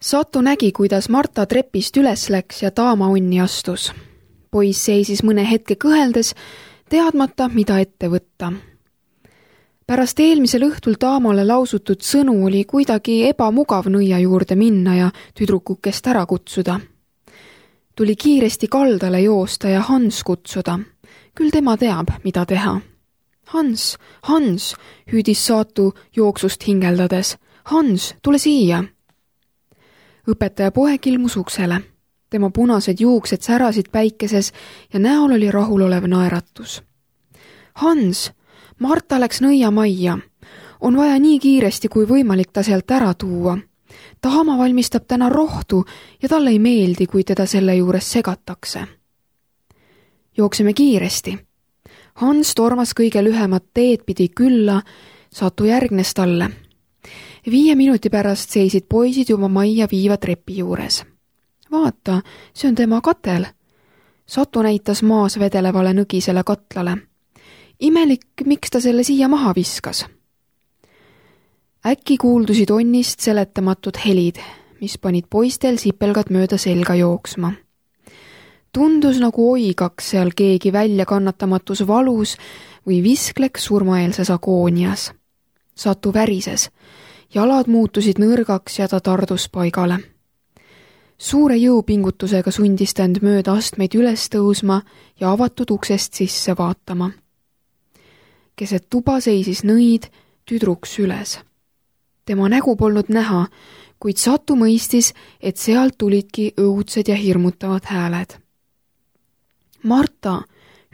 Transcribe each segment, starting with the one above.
Satu nägi, kuidas Marta trepist üles läks ja taama onni astus. Poiss seisis mõne hetke kõheldes, teadmata, mida ette võtta. Pärast eelmisel õhtul taamale lausutud sõnu oli kuidagi ebamugav nõia juurde minna ja tüdrukukest ära kutsuda. Tuli kiiresti kaldale joosta ja Hans kutsuda. Küll tema teab, mida teha. Hans, Hans, hüüdis Satu jooksust hingeldades. Hans, tule siia! Õpetaja poeg ilmus uksele. Tema punased juuksed särasid päikeses ja näol oli rahulolev naeratus. Hans, Marta läks nõiamajja. On vaja nii kiiresti kui võimalik ta sealt ära tuua. Taama valmistab täna rohtu ja talle ei meeldi, kui teda selle juures segatakse. Jookseme kiiresti. Hans tormas kõige lühemat teed pidi külla, Satu järgnes talle. 5 minuti pärast seisid poisid juba majja viiva trepi juures. Vaata, see on tema katel. Satu näitas maas vedelevale nõgisele katlale. Imelik, miks ta selle siia maha viskas. Äkki kuuldusid onnist seletamatud helid, mis panid poistel sipelgad mööda selga jooksma. Tundus nagu oigaks seal keegi väljakannatamatus valus või viskleks surmaeelses agoonias. Satu värises. Jalad muutusid nõrgaks ja ta tardus paigale. Suure jõupingutusega sundis ta end mööda astmeid üles tõusma ja avatud uksest sisse vaatama. Keset tuba seisis nõid, tüdruk süles. Tema nägu polnud näha, kuid Satu mõistis, et sealt tulidki õudsed ja hirmutavad hääled. Marta,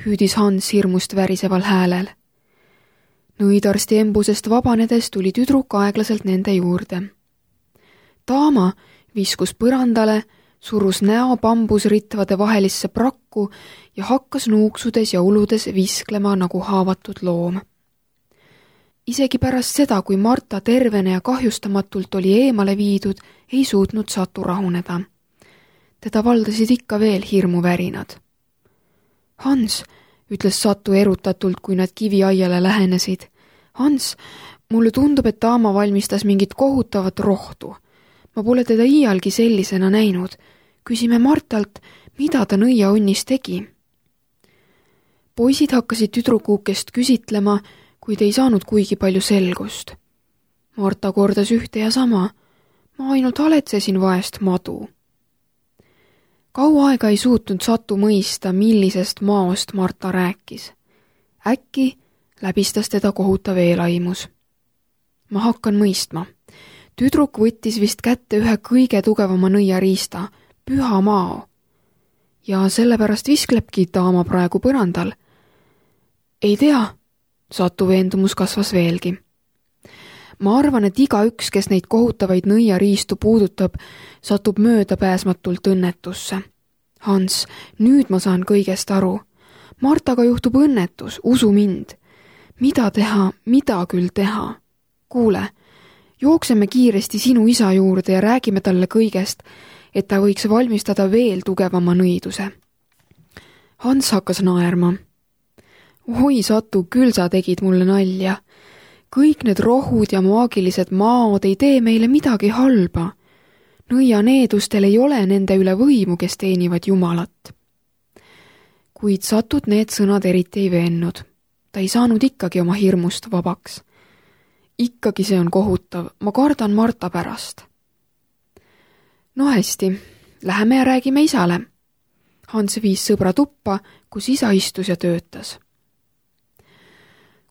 hüüdis Hans hirmust väriseval häälel. Nõidarsti embusest vabanedes tuli tüdruk aeglaselt nende juurde. Taama viskus põrandale, surus näo bambusritvade vahelisse prakku ja hakkas nuuksudes ja uludes visklema nagu haavatud loom. Isegi pärast seda, kui Marta tervene ja kahjustamatult oli eemale viidud, ei suutnud Satu rahuneda. Teda valdasid ikka veel hirmuvärinad. Hans, ütles Satu erutatult, kui nad kiviaiale lähenesid. Hans, mulle tundub, et Taama valmistas mingit kohutavat rohtu. Ma pole teda iialgi sellisena näinud. Küsime Martalt, mida ta nõiaonnis tegi. Poisid hakkasid tüdrukukest küsitlema, kuid ei saanud kuigi palju selgust. Marta kordas ühte ja sama. Ma ainult haletsesin vaest madu. Kaua aega ei suutnud Satu mõista, millisest maost Marta rääkis. Äkki läbistas teda kohutav eelaimus. Ma hakkan mõistma. Tüdruk võttis vist kätte ühe kõige tugevama nõiariista, püha mao. Ja sellepärast visklebki Taama praegu põrandal. Ei tea, Satu veendumus kasvas veelgi. Ma arvan, et igaüks, kes neid kohutavaid nõiariistu puudutab, satub möödapääsmatult õnnetusse. Hans, nüüd ma saan kõigest aru. Martaga juhtub õnnetus, usu mind. Mida teha, mida küll teha? Kuule, jookseme kiiresti sinu isa juurde ja räägime talle kõigest, et ta võiks valmistada veel tugevama nõiduse. Hans hakkas naerma. Oi, Satu, küll sa tegid mulle nalja. Kõik need rohud ja maagilised maod ei tee meile midagi halba. Nõianeedustel ei ole nende üle võimu, kes teenivad Jumalat. Kuid Satut need sõnad eriti ei veennud. Ta ei saanud ikkagi oma hirmust vabaks. Ikkagi see on kohutav, ma kardan Marta pärast. No hästi, läheme ja räägime isale. Hans viis sõbra tuppa, kus isa istus ja töötas.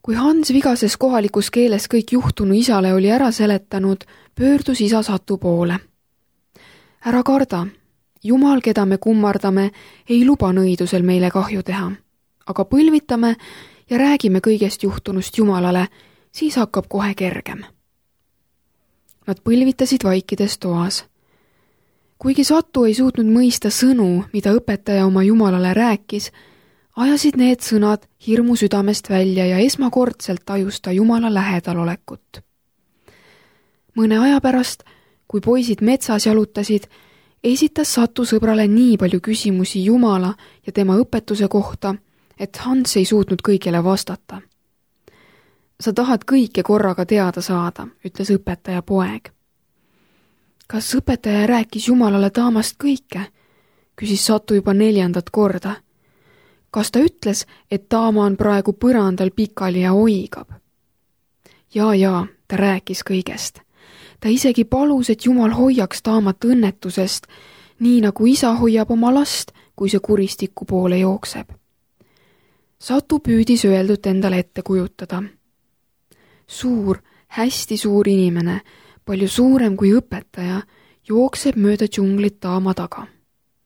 Kui Hans vigases kohalikus keeles kõik juhtunu isale oli ära seletanud, pöördus isa Satu poole. Ära karda, Jumal, keda me kummardame, ei luba nõidusel meile kahju teha, aga põlvitame ja räägime kõigest juhtunust Jumalale, siis hakkab kohe kergem. Nad põlvitasid vaikides toas. Kuigi Satu ei suutnud mõista sõnu, mida õpetaja oma Jumalale rääkis, ajasid need sõnad hirmu südamest välja ja esmakordselt tajus ta Jumala lähedalolekut. Mõne aja pärast, kui poisid metsas jalutasid, esitas Satu sõbrale nii palju küsimusi Jumala ja tema õpetuse kohta, et Hans ei suutnud kõigile vastata. Sa tahad kõike korraga teada saada, ütles õpetaja poeg. Kas õpetaja rääkis Jumalale Taamast kõike? Küsis Satu juba 4. korda. Kas ta ütles, et Taama on praegu põrandal pikali ja oigab? Jaa, ta rääkis kõigest. Ta isegi palus, et Jumal hoiaks Taamat õnnetusest, nii nagu isa hoiab oma last, kui see kuristiku poole jookseb. Satu püüdis öeldut endale ette kujutada. Suur, hästi suur inimene, palju suurem kui õpetaja, jookseb mööda džunglit Taama taga.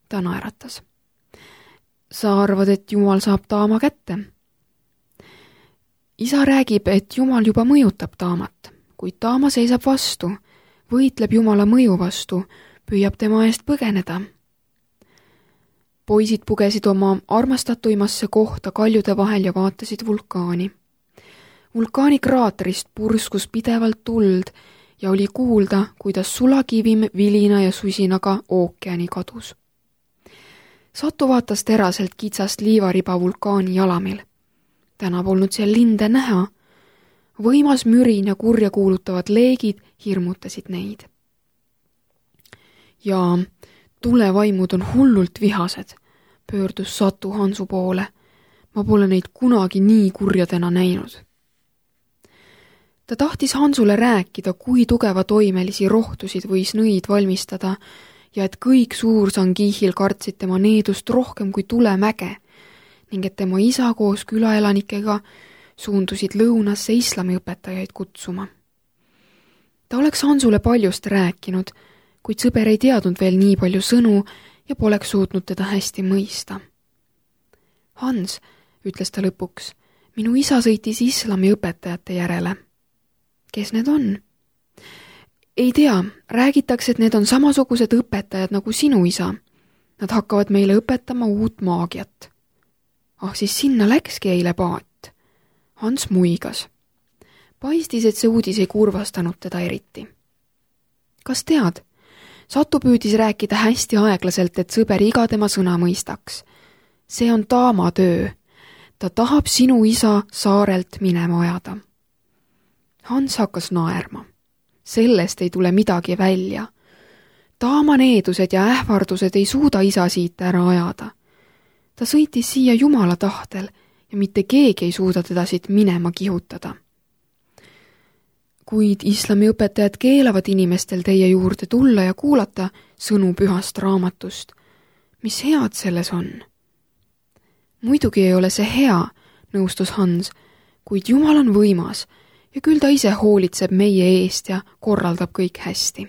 Ta naeratas. Sa arvad, et Jumal saab Taama kätte? Isa räägib, et Jumal juba mõjutab Taamat, kuid Taama seisab vastu, võitleb Jumala mõju vastu, püüab tema eest põgeneda. Poisid pugesid oma armastatuimasse kohta kaljude vahel ja vaatasid vulkaani. Vulkaani kraaterist purskus pidevalt tuld ja oli kuulda, kuidas sulakivim vilina ja susinaga ookeani kadus. Satu vaatas teraselt kitsast liivariba vulkaani jalamil. Täna polnud seal linde näha. Võimas mürin ja kurja kuulutavad leegid hirmutasid neid. Ja tulevaimud on hullult vihased, pöördus Satu Hansu poole. Ma pole neid kunagi nii kurjadena näinud. Ta tahtis Hansule rääkida, kui tugeva toimelisi rohtusid võis nõid valmistada ja et kõik Suur-Sangihil kartsid tema needust rohkem kui tulemäge ning et tema isa koos külaelanikega suundusid lõunasse islamiõpetajaid kutsuma. Ta oleks Hansule paljust rääkinud, kuid sõber ei teadnud veel nii palju sõnu ja poleks suutnud teda hästi mõista. Hans, ütles ta lõpuks, minu isa sõitis islamiõpetajate järele. Kes need on? Ei tea, räägitakse, et need on samasugused õpetajad nagu sinu isa. Nad hakkavad meile õpetama uut maagiat. Siis sinna läkski eile paat. Hans muigas. Paistis, et see uudis ei kurvastanud teda eriti. Kas tead? Satu püüdis rääkida hästi aeglaselt, et sõber iga tema sõna mõistaks. See on Taama töö. Ta tahab sinu isa saarelt minema ajada. Hans hakkas naerma. Sellest ei tule midagi välja. Taama needused ja ähvardused ei suuda isa siit ära ajada. Ta sõitis siia Jumala tahtel ja mitte keegi ei suuda teda siit minema kihutada. Kuid islamiõpetajad keelavad inimestel teie juurde tulla ja kuulata sõnu pühast raamatust. Mis head selles on? Muidugi ei ole see hea, nõustus Hans, kuid Jumal on võimas ja küll ta ise hoolitseb meie eest ja korraldab kõik hästi.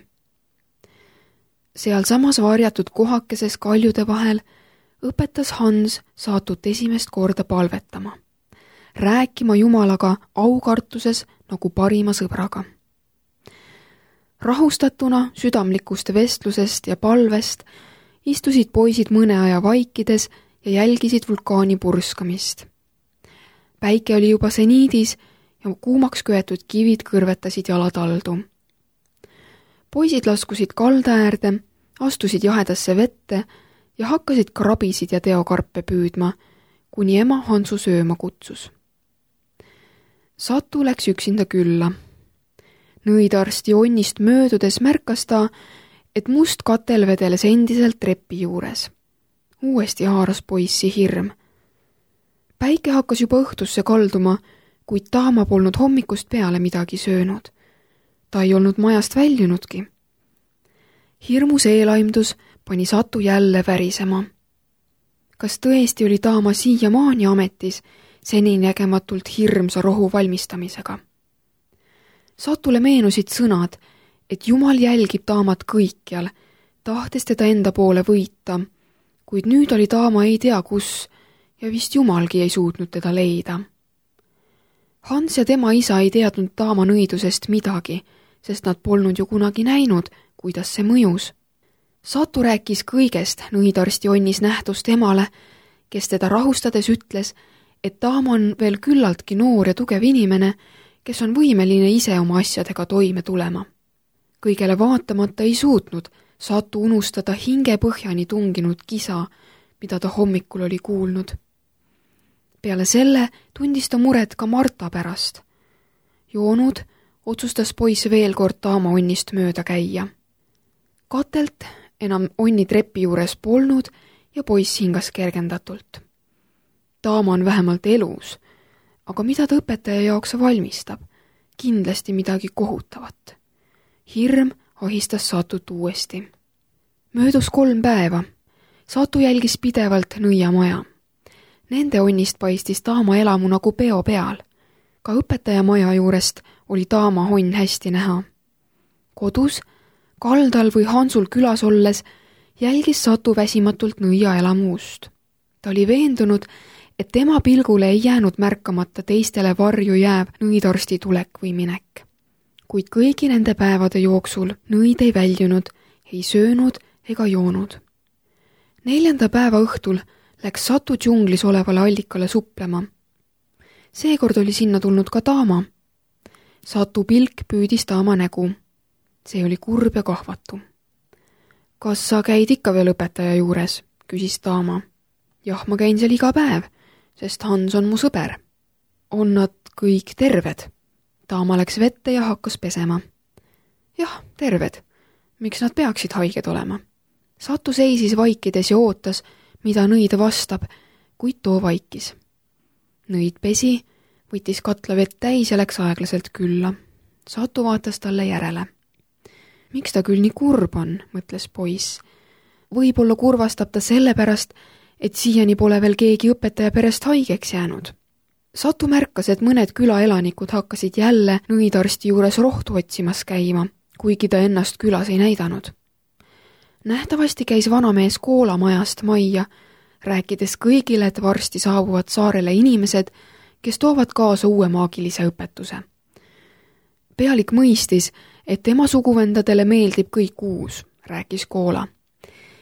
Seal samas varjatud kohakeses kaljude vahel õpetas Hans Satut esimest korda palvetama, rääkima Jumalaga aukartuses nagu parima sõbraga. Rahustatuna südamlikust vestlusest ja palvest istusid poisid mõne aja vaikides ja jälgisid vulkaani purskamist. Päike oli juba seniidis ja kuumaks köetud kivid kõrvetasid jalataldu. Poisid laskusid kalda äärde, astusid jahedasse vette ja hakkasid krabisid ja teokarpe püüdma, kuni ema Hansu sööma kutsus. Satu läks üksinda külla. Nõidarsti onnist möödudes märkas ta, et must katel vedeles endiselt trepi juures. Uuesti haaras poissi hirm. Päike hakkas juba õhtusse kalduma, kuid Taama polnud hommikust peale midagi söönud. Ta ei olnud majast väljunudki. Hirmus eelaimdus pani Satu jälle värisema. Kas tõesti oli Taama siiamaani ametis seninägematult hirmsa rohu valmistamisega? Satule meenusid sõnad, et Jumal jälgib Taamat kõikjal, tahtes teda enda poole võita, kuid nüüd oli Taama ei tea kus ja vist Jumalgi ei suutnud teda leida. Hans ja tema isa ei teadnud Taama nõidusest midagi, sest nad polnud ju kunagi näinud, kuidas see mõjus. Satu rääkis kõigest nõidarsti onnis nähtust emale, kes teda rahustades ütles, et Taama on veel küllaltki noor ja tugev inimene, kes on võimeline ise oma asjadega toime tulema. Kõigele vaatamata ei suutnud Satu unustada hinge põhjani tunginud kisa, mida ta hommikul oli kuulnud. Peale selle tundis ta muret ka Marta pärast. Joonud otsustas poiss veel kord Taama onnist mööda käia. Katelt enam onni trepi juures polnud ja poiss hingas kergendatult. Taama on vähemalt elus, aga mida ta õpetaja jaoks valmistab? Kindlasti midagi kohutavat. Hirm ahistas Satut uuesti. Möödus 3 päeva. Satu jälgis pidevalt nõiamaja. Nende onnist paistis Taama elamu nagu peo peal. Ka õpetaja maja juurest oli Taama onn hästi näha. Kodus, kaldal või Hansul külas olles jälgis Satu väsimatult nõia elamuust. Ta oli veendunud, et tema pilgule ei jäänud märkamata teistele varju jääv nõidarsti tulek või minek. Kuid kõigi nende päevade jooksul nõid ei väljunud, ei söönud ega joonud. 4. päeva õhtul läks Satu džunglis olevale allikale suplema. Seekord oli sinna tulnud ka Taama. Satu pilk püüdis Taama nägu. See oli kurb ja kahvatu. Kas sa käid ikka veel õpetaja juures? Küsis Taama. Jah, ma käin seal iga päev, sest Hans on mu sõber. On nad kõik terved? Taama läks vette ja hakkas pesema. Jah, terved. Miks nad peaksid haiged olema? Satu seisis vaikides ja ootas, mida nõid vastab, kuid too vaikis. Nõid pesi, võttis katla vett täis ja läks aeglaselt külla. Satu vaatas talle järele. Miks ta küll nii kurb on, mõtles poiss. Võib-olla kurvastab ta sellepärast, et siiani pole veel keegi õpetaja perest haigeks jäänud. Satu märkas, et mõned külaelanikud hakkasid jälle nõidarsti juures rohtu otsimas käima, kuigi ta ennast külas ei näidanud. Nähtavasti käis vanamees koolamajast majja, rääkides kõigile, et varsti saabuvad saarele inimesed, kes toovad kaasa uue maagilise õpetuse. Pealik mõistis, et tema suguvendadele meeldib kõik uus, rääkis Koola.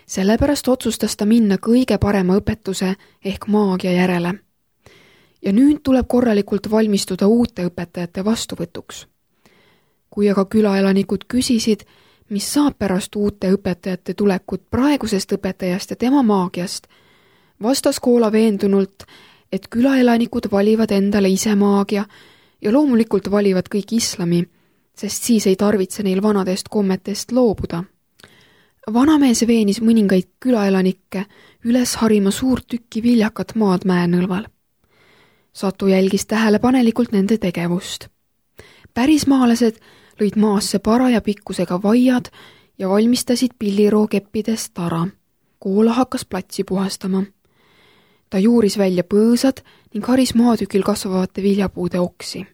Sellepärast otsustas ta minna kõige parema õpetuse ehk maagia järele. Ja nüüd tuleb korralikult valmistuda uute õpetajate vastuvõtuks. Kui aga külaelanikud küsisid, mis saab pärast uute õpetajate tulekut praegusest õpetajast ja tema maagiast, vastas Koola veendunult, et külaelanikud valivad endale ise maagia ja loomulikult valivad kõik islami, sest siis ei tarvitse neil vanadest kommetest loobuda. Vanamees veenis mõningaid külaelanikke üles harima suurt tükki viljakat maad mäenõlval. Satu jälgis tähelepanelikult nende tegevust. Pärismaalased lõid maasse paraja pikkusega vaiad ja valmistasid pillirookeppidest tara. Koola hakkas platsi puhastama. Ta juuris välja põõsad ning haris maatükil kasvavate viljapuude oksi.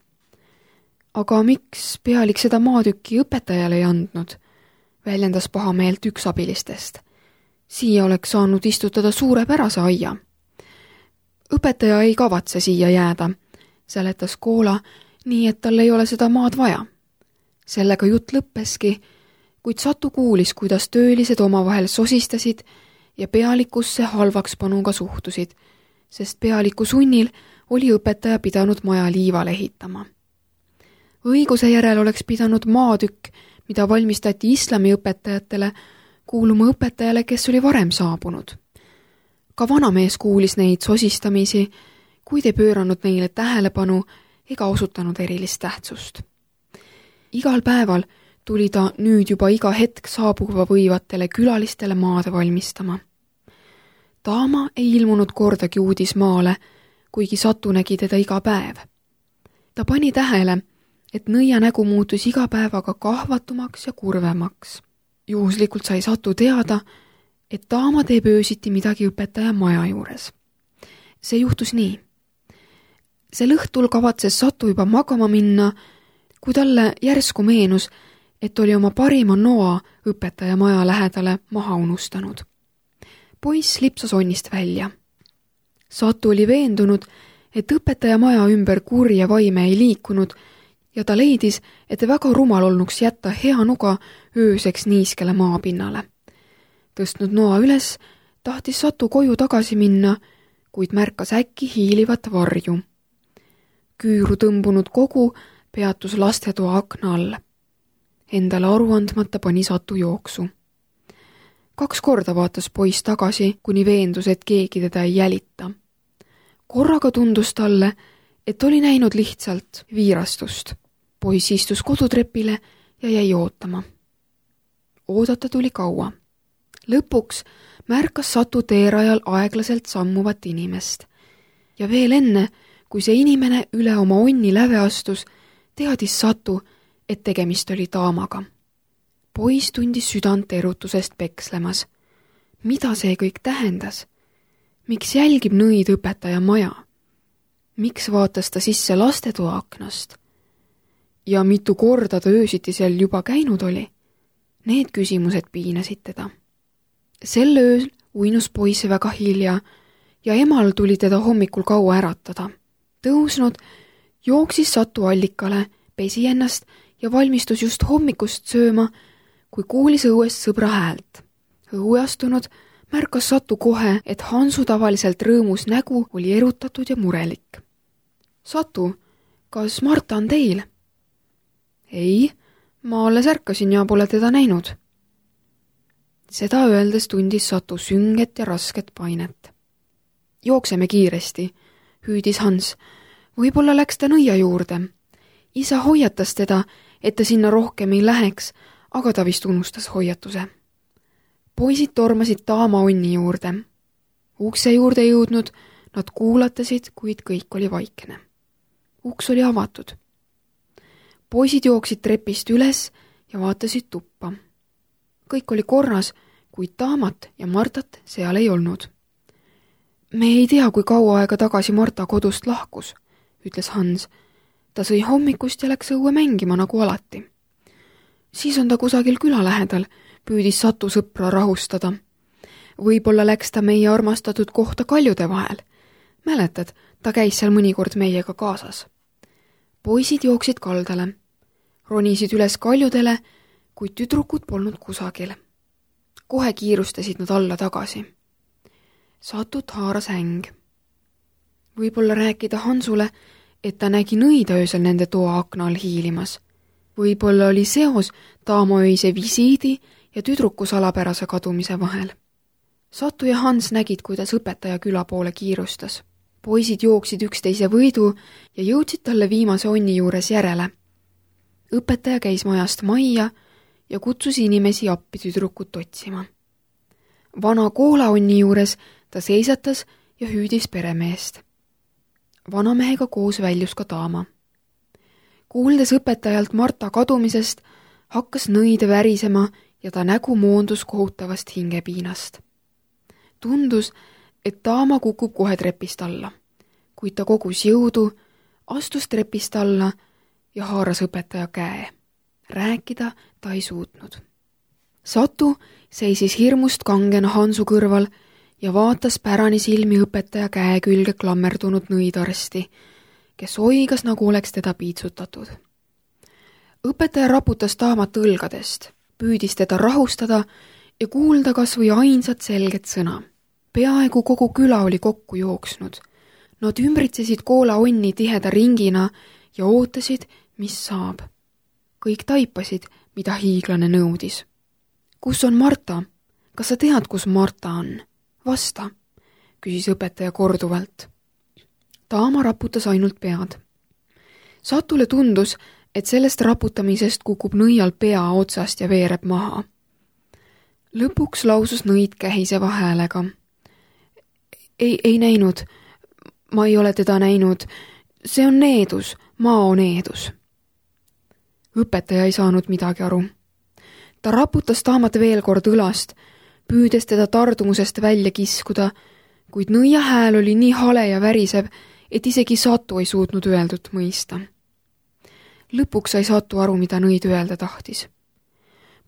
Aga miks pealik seda maatükki õpetajale ei andnud? Väljendas pahameelt üks abilistest. Siia oleks saanud istutada suurepärase aia. Õpetaja ei kavatse siia jääda, seletas Koola, nii et tal ei ole seda maad vaja. Sellega jutt lõppeski, kuid Satu kuulis, kuidas töölised omavahel sosistasid ja pealikusse halvakspanuga suhtusid, sest pealiku sunnil oli õpetaja pidanud maja liivale ehitama. Õiguse järel oleks pidanud maatükk, mida valmistati islami õpetajatele, kuuluma õpetajale, kes oli varem saabunud. Ka vanamees kuulis neid sosistamisi, kuid ei pööranud neile tähelepanu ega osutanud erilist tähtsust. Igal päeval tuli ta nüüd juba iga hetk saabuva võivatele külalistele maad valmistama. Taama ei ilmunud kordagi uudismaale, kuigi Satu nägi teda iga päev. Ta pani tähele, et nõia nägu muutus iga päevaga kahvatumaks ja kurvemaks. Juhuslikult sai Satu teada, et Taama teeb öösiti midagi õpetaja maja juures. See juhtus nii. Sel õhtul kavatses Satu juba magama minna, kui talle järsku meenus, et oli oma parima noa õpetaja maja lähedale maha unustanud. Poiss lipsas onnist välja. Satu oli veendunud, et õpetaja maja ümber kurja vaime ei liikunud ja ta leidis, et väga rumal olnuks jätta hea nuga ööseks niiskele maapinnale. Tõstnud noa üles, tahtis Satu koju tagasi minna, kuid märkas äkki hiilivat varju. Küüru tõmbunud kogu peatus lastetoa akna all. Endale aru andmata pani Satu jooksu. 2 korda vaatas poiss tagasi, kuni veendus, et keegi teda ei jälita. Korraga tundus talle, et oli näinud lihtsalt viirastust. Poiss istus kodutrepile ja jäi ootama. oodata tuli kaua. Lõpuks märkas Satu teerajal aeglaselt sammuvat inimest. Ja veel enne, kui see inimene üle oma onni läve astus, teadis Satu, et tegemist oli daamaga. Poiss tundis südant erutusest pekslemas. Mida see kõik tähendas? Miks jälgib nõid õpetaja maja? Miks vaatas ta sisse lastetoa aknast? Ja mitu korda ta öösiti seal juba käinud oli? Need küsimused piinasid teda. Sel ööl uinus poiss väga hilja ja emal tuli teda hommikul kaua äratada. Tõusnud, jooksis Satu allikale, pesi ennast ja valmistus just hommikust sööma, kui kuulis õuest sõbra häält. Õue astunud märkas Satu kohe, et Hansu tavaliselt rõõmus nägu oli erutatud ja murelik. Satu, kas Marta on teil? Ei, ma alles ärkasin ja pole teda näinud. Seda öeldes tundis Satu sünget ja rasket painet. Jookseme kiiresti, hüüdis Hans. Võib-olla läks ta nõia juurde. Isa hoiatas teda, et ta sinna rohkem ei läheks, aga ta vist unustas hoiatuse. Poisid tormasid daama onni juurde. Ukse juurde jõudnud, nad kuulatasid, kuid kõik oli vaikne. Uks oli avatud. Poisid jooksid trepist üles ja vaatasid tuppa. Kõik oli korras, kuid daamat ja Martat seal ei olnud. Me ei tea, kui kaua aega tagasi Marta kodust lahkus, ütles Hans. Ta sõi hommikust ja läks õue mängima nagu alati. Siis on ta kusagil küla lähedal, püüdis Satu sõpra rahustada. Võib-olla läks ta meie armastatud kohta kaljude vahel. Mäletad, ta käis seal mõnikord meiega kaasas. Poisid jooksid kaldale. Ronisid üles kaljudele, kuid tüdrukud polnud kusagil. Kohe kiirustasid nad alla tagasi. Satut haaras häng. Võib-olla rääkida Hansule, et ta nägi nõida öösel nende toa akna all hiilimas. Võib-olla oli seos daamaöise visiidi ja tüdruku salapärase kadumise vahel. Satu ja Hans nägid, kuidas õpetaja küla poole kiirustas. Poisid jooksid üksteise võidu ja jõudsid talle viimase onni juures järele. Õpetaja käis majast majja ja kutsus inimesi appi tüdrukut otsima. Vana koolaonni juures ta seisatas ja hüüdis peremeest. Vanamehega koos väljus ka daama. Kuuldes õpetajalt Marta kadumisest, hakkas nõide värisema ja ta nägu moondus kohutavast hingepiinast. Tundus, et daama kukub kohe trepist alla, kuid ta kogus jõudu, astus trepist alla ja haaras õpetaja käe. Rääkida ta ei suutnud. Satu seisis hirmust kangena Hansu kõrval ja vaatas pärani silmi õpetaja käe külge klammerdunud nõidarsti, kes oigas, nagu oleks teda piitsutatud. Õpetaja raputas daamat õlgadest, püüdis teda rahustada ja kuulda kas või ainsat selget sõna. Peaaegu kogu küla oli kokku jooksnud. Nad ümbritsesid koola onni tiheda ringina ja ootasid, mis saab. Kõik taipasid, mida hiiglane nõudis. Kus on Marta? Kas sa tead, kus Marta on? Vasta, küsis õpetaja korduvalt. Daama raputas ainult pead. Satule tundus, et sellest raputamisest kukub nõial pea otsast ja veereb maha. Lõpuks lausus nõid kähiseva häälega. Ei näinud. Ma ei ole teda näinud. See on needus, Mao needus. Õpetaja ei saanud midagi aru. Ta raputas daamat veel kord õlast, püüdes teda tardumusest välja kiskuda, kuid nõia hääl oli nii hale ja värisev, et isegi Satu ei suutnud öeldut mõista. Lõpuks sai Satu aru, mida nõid öelda tahtis.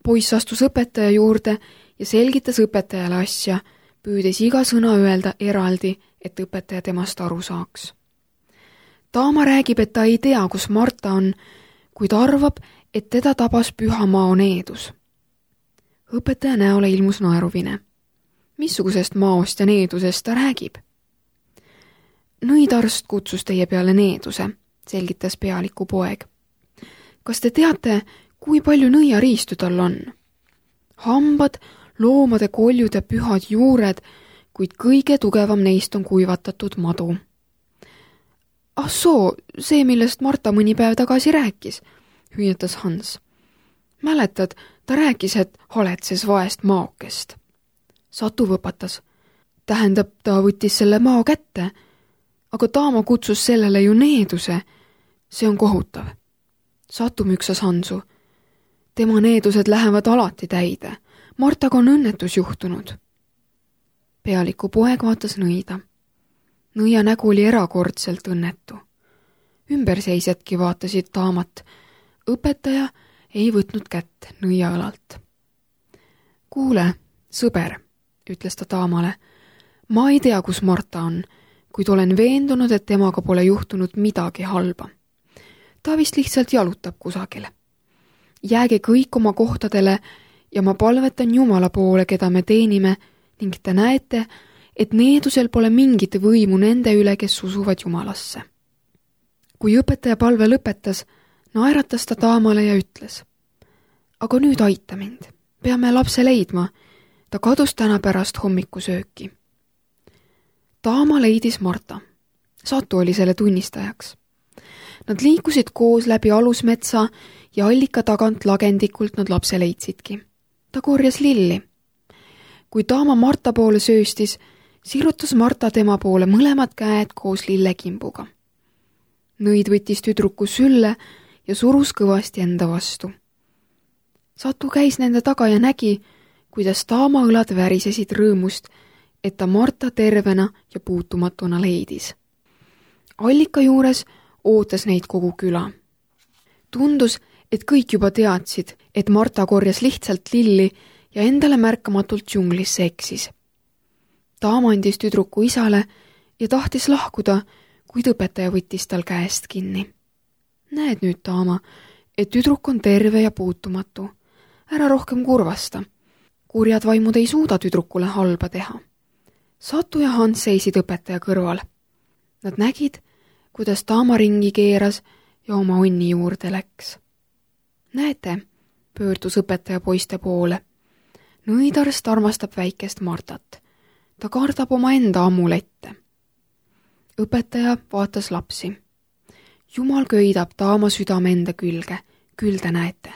Poiss astus õpetaja juurde ja selgitas õpetajale asja, püüdes iga sõna öelda eraldi, et õpetaja temast aru saaks. Daama räägib, et ta ei tea, kus Marta on, kuid arvab, et teda tabas püha Mao needus. Õpetaja näole ilmus naeruvine. Missugusest Maost ja needusest ta räägib? Nõidarst kutsus teie peale needuse, selgitas pealiku poeg. Kas te teate, kui palju nõiariistu tal on? Hambad, loomade koljud ja pühad juured, kuid kõige tugevam neist on kuivatatud madu. Ah soo, see, millest Marta mõni päev tagasi rääkis, hüüatas Hans. Mäletad, ta rääkis, et haletses vaest maokest. Satu võpatas. Tähendab, ta võttis selle mao kätte, aga Taama kutsus sellele ju needuse. See on kohutav. Satu müksas Hansu. Tema needused lähevad alati täide. Martaga on õnnetus juhtunud. Pealiku poeg vaatas nõida. Nõia nägu oli erakordselt õnnetu. Ümberseisjadki vaatasid Taamat. Õpetaja ei võtnud kätt nõia õlalt. Kuule, sõber, ütles ta Taamale. Ma ei tea, kus Marta on, kuid olen veendunud, et temaga pole juhtunud midagi halba. Ta vist lihtsalt jalutab kusagile. Jääge kõik oma kohtadele ja ma palvetan Jumala poole, keda me teenime, ning te näete, et needusel pole mingit võimu nende üle, kes usuvad Jumalasse. Kui õpetaja palve lõpetas, naeratas ta Taamale ja ütles: aga nüüd aita mind, peame lapse leidma, ta kadus täna pärast hommikusööki. Taama leidis Marta. Satu oli selle tunnistajaks. Nad liikusid koos läbi alusmetsa ja allika tagant lagendikult nad lapse leidsidki. Ta korjas lilli. Kui Taama Marta poole sööstis, sirutas Marta tema poole mõlemad käed koos lillekimbuga. Nõid võttis tüdruku sülle ja surus kõvasti enda vastu. Satu käis nende taga ja nägi, kuidas Taama õlad värisesid rõõmust, et ta Marta tervena ja puutumatuna leidis. Allika juures ootas neid kogu küla. Tundus, et kõik juba teadsid, et Marta korjas lihtsalt lilli ja endale märkamatult džunglisse eksis. Taama andis tüdruku isale ja tahtis lahkuda, kuid õpetaja võttis tal käest kinni. Näed nüüd, Taama, et tüdruk on terve ja puutumatu. Ära rohkem kurvasta. Kurjad vaimud ei suuda tüdrukule halba teha. Satu ja Hans seisid õpetaja kõrval. Nad nägid, kuidas Taama ringi keeras ja oma onni juurde läks. Näete, pöördus õpetaja poiste poole. Nõidarst armastab väikest Martat. Ta kardab oma enda amulette. Õpetaja vaatas lapsi. Jumal köidab Taama südame enda külge, küll te näete.